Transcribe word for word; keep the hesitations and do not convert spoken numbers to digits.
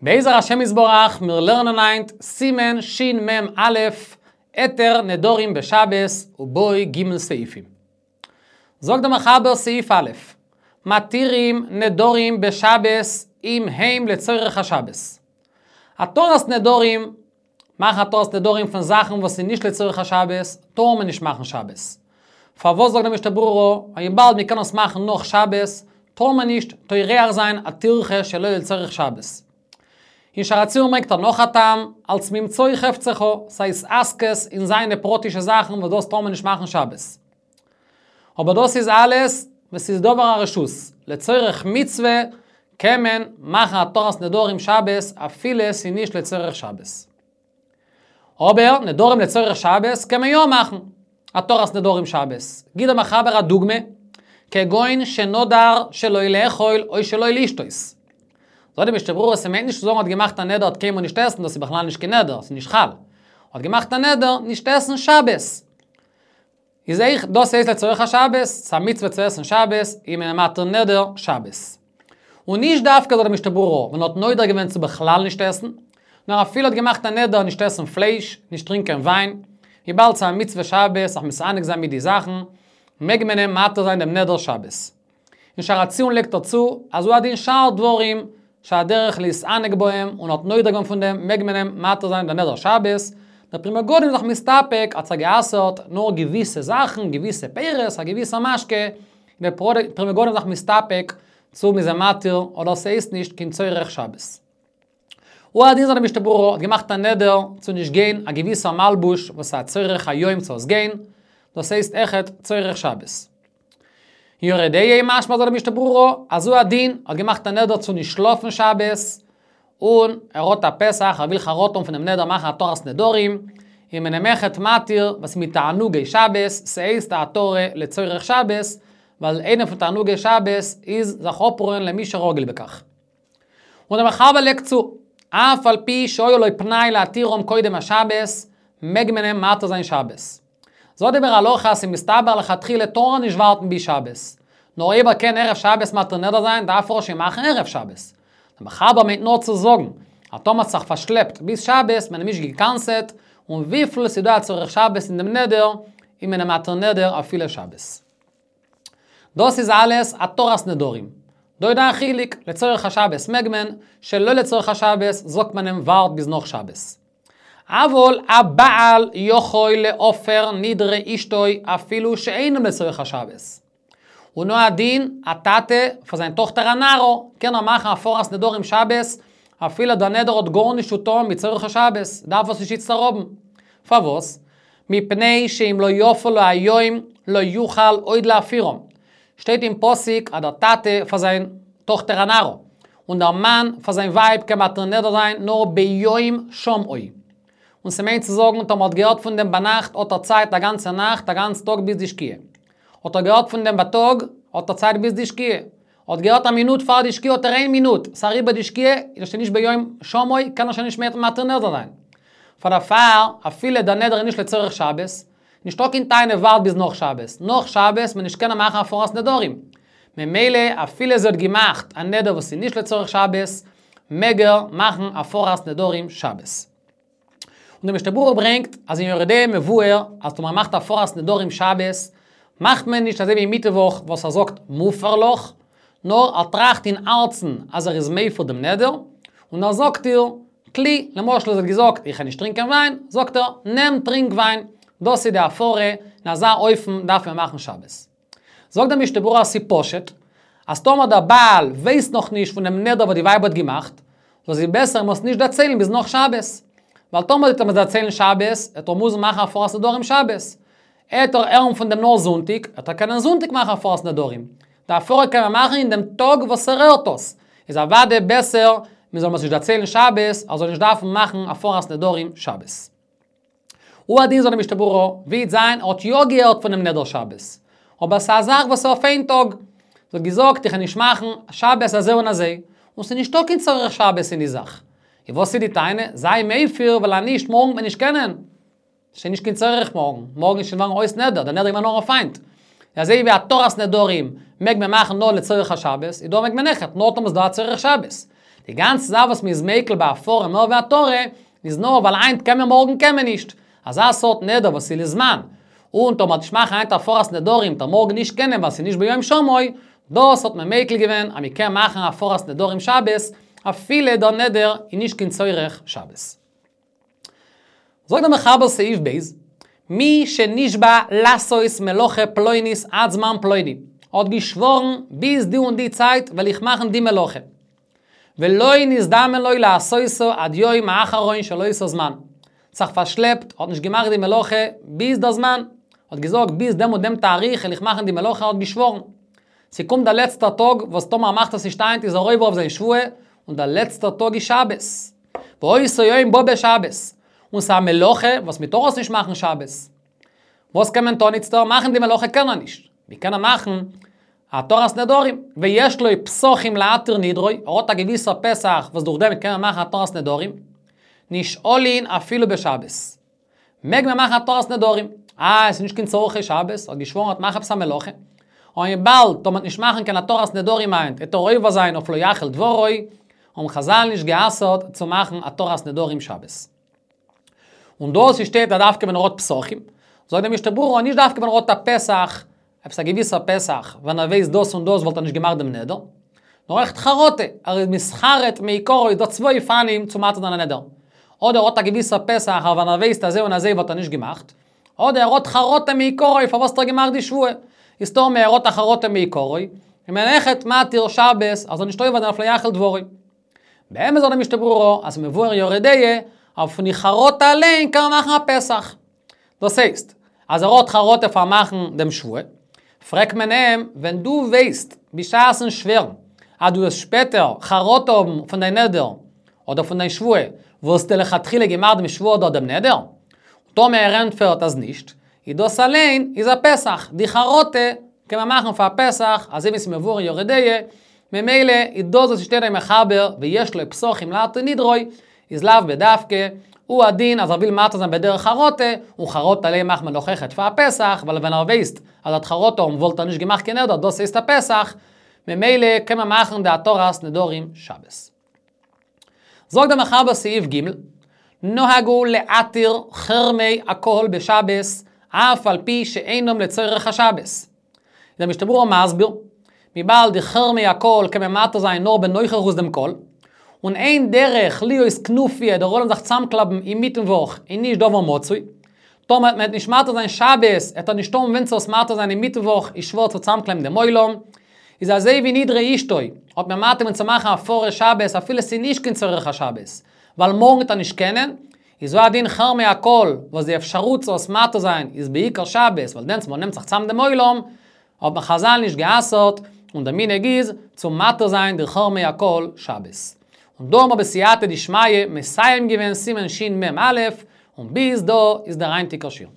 בעזר השם יתברך, מיר לערנען היינט סימן שמ"א, היתר נדרים בשבת ובו ג' סעיפים. זאגט דער מחבר סעיף א', מתירים נדרים בשבת אם הם לצורך השבת. התרת נדרים, מאכן התרת נדרים פון זאכן וואס איז נישט לצורך השבת, טאר מען נישט מאכן שבת. פארוואס זאגט דער משנה ברורה, וויבאלד מען קען עס מאכן נאך שבת, טאר מען נישט טורח זיין א טירחה שלא לצורך שבת. אין שער הציון ברענגט ער נאך א טעם, אלס ממצוא חפצך, ס'איז התעסקות אין זיינע פרטישע זאכן וואס דאס טאר מען נישט מאכן שבת. אבער דאס איז אלעס וואס איז דבר הרשות, לצורך מצוה קען מען מאכן התרת נדרים שבת אפילו ס'איז נישט לצורך שבת. אבער נדרים לצורך שבת קען מען יא מאכן התרת נדרים שבת. גיט דער מחבר א דוגמא, כגון שנדר שלא לאכול או שלא לשתות. זאגט די משנה ברורה ס'מיינט נישט צו זאגן האט געמאכט א נדר האט קיינמאל נישט עסן, דאס איז בכלל נישט קיין נדר, ס'איז נישט חל. האט געמאכט א נדר נישט עסן שבת. איז אויך דאס הייסט לצורך השבת, ס'איז א מצוה צו עסן שבת, איז מען מתיר נדר שבת. און נישט דווקא זאגט די משנה ברורה ווען האט נודר געווען צו בכלל נישט עסן, נאר אפילו האט געמאכט א נדר נישט עסן פלייש, נישט טרינקען וויין, וויבאלד ס'איז א מצוה שבת זיך מתענג זיין מיט די זאכן, מעג מען אים מתיר זיין דעם נדר שבת. אין שער הציון לייגט ער צו, אז הוא הדין שאר דברים שהדרך להתענג בהם און האט נודר געווען פון דעם מעג מען אים מתיר זיין דעם נדר שבת, דער פרי מגדים איז זיך מסתפק האט זיך גע'אסר'ט נאר געוויסע זאכן, געוויסע פירות, א געוויסע משקה, דער פרי מגדים איז זיך מסתפק צו מ'איז אים מתיר אדער ס'הייסט נישט קיין צורך שבת. הוא הדין זאגט די משנה ברורה האט געמאכט א נדר צו נישט גיין א געוויסע מלבוש וואס איז א צורך היום צו עס גיין, דאס הייסט אויכעט צורך שבת. אין יורה דעה משמע זאגט די משנה ברורה אז הוא הדין האט געמאכט א נדר צו נישט שלאפן שבת, און ער האט א פתח ער וויל חרטה האבן פונעם נדר מאכן התרת נדרים, איז מען אים אויכעט מתיר וואס מתענוגי שבת, ס'הייסט א התרה לצורך שבת, ווייל איינע פון תענוגי שבת איז זיך אפרוען למי שרגיל בכך. און דער מחבר לייגט צו, אף על פי שהיה לו פנאי להתירם קודם השבת, מעג מען אים מתיר זיין שבת. זאגט דער ביאור הלכה אז ס'מסתבר לכתחילה טאר ער נישט ווארטן ביז שבת. נאר אויב ער קען ערב שבת מתיר נדר זיין דארף ער עס שוין מאכן ערב שבת. דער מחבר מיינט נאר צו זאגן, אז טאמער האט זיך פארשלעפט ביז שבת, מען אים נישט גע'קנס'עט, און וויפיל ס'איז דא א צורך שבת אין דעם נדר, איז מען אים מתיר נדר אפילו שבת. דאס איז אלעס התרת נדרים. דא איז דא א חילוק, לצורך השבת מעג מען, שלא לצורך השבת זאגט מען אים ווארט ביז נאך שבת. אבל הבעל יכול להפר נדרי אשתו אפילו שאינם לצורך השבת. און הוא הדין, א טאטע פאר זיין טאכטער א נערה, קען ער מאכן הפרת נדרים שבת, אפילו דער נדר האט גארנישט צו טון מיט צורך השבת, דארף עס נישט איצטער האבן. פארוואס? מפני שאם לא יפה לו היום לא יוכל עוד להפירם. שטייט אין פסוק אז דער טאטע פאר זיין טאכטער א נערה, און דער מאן פאר זיין ווייב קען מתיר נדר זיין נאר ביום שמעו. און ס'מיינט צו זאגן טאמער האט געהערט פון דעם ביינאכט האט ער צייט א גאנצע נאכט א גאנץ טאג ביז די שקיעה. האט ער געהערט פון דעם בייטאג האט ער צייט ביז די שקיעה. האט געהערט א מינוט פאר די שקיעה האט ער איין מינוט, ס'אריבער די שקיעה איז ער שוין נישט ביום שמעו קען ער שוין נישט מער מתיר נדר זיין. פאר דערפאר אפילו דער נדר איז נישט לצורך שבת, נישטא קיין טענה ווארט ביז נאך שבת, נאך שבת מען נישט קענען מאכן הפרת נדרים. ממילא אפילו זי האט געמאכט א נדר וואס איז נישט לצורך שבת, מעג ער מאכן הפרת נדרים שבת. און דער משנה ברורה ברענגט אז אין יורה דעה מבואר אז טאמער מ'מאכט הפרת נדרים שבת, מאכט מען נישט אזוי ווי מיטוואך וואס ער זאגט מופר לך, נאר ער טראכט אין הארצן אז ער איז מפר דעם נדר, און ער זאגט איר, טלי, למשל זי האט געזאגט איך קען נישט טרינקען וויין, זאגט ער, נעם טרינק וויין, דאס איז די הפרה, אין אזא אופן דארף מען מאכן שבת. זאגט דער משנה ברורה אז ס'איז פשוט, אז טאמער דער בעל ווייסט נאך נישט פון דעם נדר וואס די ווייב האט געמאכט, זאל זי בעסער אים עס נישט דערציילן ביז נאך שבת. ווייל טאמער וועט ער אים עס דערציילן שבת, וועט ער מוזן מאכן הפרת נדרים שבת. העט ער הערן פון דעם נאר זונטאג, העט ער קענען זונטאג מאכן הפרת נדרים. די הפרה קען מען מאכן אין דעם טאג וואס ער הערט עס. איז אוודאי בעסער מען זאל אים עס נישט דערציילן שבת, ער זאל נישט דארפן מאכן הפרת נדרים שבת. הוא הדין זאגט די משנה ברורה, ווי וועט זיין ער האט יא געהערט פונעם נדר שבת, אבער ס'איז א זאך וואס איז אויף איין טאג, זי האט געזאגט איך וועל נישט מאכן שבת אזוי און אזוי, און ס'איז נישטא קיין צורך שבת אין די זאך. איז וואס איז די טענה? זיי מפר ווייל אז נישט מארגן וועט מען נישט קענען. ס'איז נישט קיין צורך מארגן, מארגן איז שוין געווארן אויס נדר, דער נדר איז געווען נאר אויף היינט. אזוי ווי התרת נדרים מעג מען מאכן נאר לצורך השבת, איז דא מעג מען אויכעט, נאר טאמער ס'איז דא א צורך שבת. די גאנצע זאך וואס מ'איז מיקל ביי הפרה מער ווי התרה, איז נאר ווייל היינט קען מען מארגן קען מען נישט. אזא סארט נדר וואס איז לזמן. און טאמער נישט מאכן היינט הפרת נדרים, וועט ער מארגן נישט קענען ווייל ס'איז נישט ביום שמעו, דאס האט מען מיקל געווען אז מ'קען מאכן הפרת נדרים שבת, אפילו דער נדר איז נישט קיין צורך שבת. זאגט דער מחבר סעיף ב', מי שנשבע לעשות מלאכה פלונית עד זמן פלוני, האט געשווארן ביז די און די צייט וועל איך מאכן די מלאכה. ולא נזדמן לו לעשותה עד יום האחרון של אותו זמן. זיך פארשלעפט, האט נישט געמאכט די מלאכה ביז דער זמן. האט געזאגט ביז דעם און דעם תאריך וועל איך מאכן די מלאכה, האט געשווארן. ס'קומט דער לעצטער טאג, וואס טאמער מאכט עס נישט היינט איז ער עובר אויף זיין שבועה, און דער לעצטער טאג איז שבת. ואותו יום בא בשבת. און ס'איז א מלאכה וואס מ'טאר עס נישט מאכן שבת. וואס קען מען טון איצטער? מאכן די מלאכה קען ער נישט. ווי קען ער מאכן התרת נדרים? ויש לו פתחים להתיר נדרו, ער האט א געוויסער פתח וואס דורך דעם קען ער מאכן התרת נדרים. נשאלין אפילו בשבת. מעג מען מאכן התרת נדרים. אה, עס איז נישט קיין צורכי שבת, האט געשווארן ער וועט מאכן עפעס א מלאכה. און וויבאלד טאמער נישט מאכן קיין התרת נדרים היינט, וועט ער עובר זיין אויף לא יחל דברו, האבן חזל נישט גע'אסר'ט צו מאכן התרת נדרים שבת. און דאס שטייט אז דווקא ווען ער האט פתחים, זאגט דער משנה ברורה נישט דווקא ווען ער האט א פתח, עפעס א געוויסער פתח, ווען ער ווייסט דאס און דאס וואלט ער נישט געמאכט דעם נדר, נאר אויכעט חרטה, ער איז מתחרט מעיקרא איז דא צוויי אופנים צו מתיר זיין א נדר. אדער ער האט א געוויסער פתח, אבער ווען ער ווייסט אזוי און אזוי וואלט ער נישט געמאכט, אדער ער האט חרטה מעיקרא פארוואס האט ער געמאכט די שבועה. איז טאמער ער האט א חרטה מעיקרא, איז מען אויכעט מתיר שבת, אז ער זאל נישט עובר זיין אויף לא יחל דברו. באמת זאגט דער משנה ברורה, אז ס'מבואר אין יורה דעה, אבער פון די חרטה אליין קען מען מאכן א פתח. דאס הייסט, אז ער האט חרטה פאר מאכן דעם שבועה, פרעגט מען אים, ווען דו ווייסט, בשעת'ן שווערן, אז דו וועסט שפעטער חרטה האבן פון דיין נדר, אדער פון דיין שבועה, וואלסטו לכתחילה געמאכט דעם שבועה אדער דעם נדר? טאמער ער ענטפערט אז נישט, איז דאס אליין איז א פתח, די חרטה קען מען מאכן פאר א פתח, אזוי ווי ס'איז מבואר אין יורה דעה, ממילא איז דאס וואס שטייט אין מחבר ויש לו פתחים להתיר נדרו, איז לאו בדווקא, הוא הדין אז ער וויל מתיר זיין בדרך חרטה, און חרטה אליין מאכט מען דאך אויכעט פאר א פתח, ווייל ווען ער ווייסט אז ער וועט חרטה האבן וואלט ער נישט געמאכט קיין נדר, דאס הייסט א פתח, ממילא קען מען מאכן די התרת נדרים שבת. זאגט דער מחבר סעיף ג', נהגו להתיר חרמי הקהל בשבת, אף על פי שאינם לצורך השבת. דער משנה ברורה מסביר, וויבאלד די חרמי הקהל קען מען מתיר זיין נאר בנוכחות דעם קהל, און אין דרך להיות כנופיא דער עולם זיך צאמקלאבן אינמיטן וואך איז נישט דבר מצוי, טאמער וועט מען נישט מתיר זיין שבת, וועט ער נישט האבן ווען צו עס מתיר זיין אינמיטן וואך איז שווער צו צאמקלייבן דעם עולם, איז אזוי ווי נדרי אשתו, האט מען מתיר געווען צו מאכן הפרה שבת אפילו ס'איז נישט קיין צורך השבת, ווייל מארגן וועט ער נישט קענען, איז הוא הדין חרמי הקהל, וואס די אפשרות צו עס מתיר זיין איז בעיקר שבת, ווייל דענסטמאל נעמט זיך צאם דעם עולם, האט מען חזל נישט גע'אסר'ט, און דער מנהג איז צו מתיר זיין די חרמי הקהל שבת. און דא האבן מיר בסייעתא דשמיא מסיים געווען סימן שמ"א, און ביז דא איז דער היינטיגער שיעור.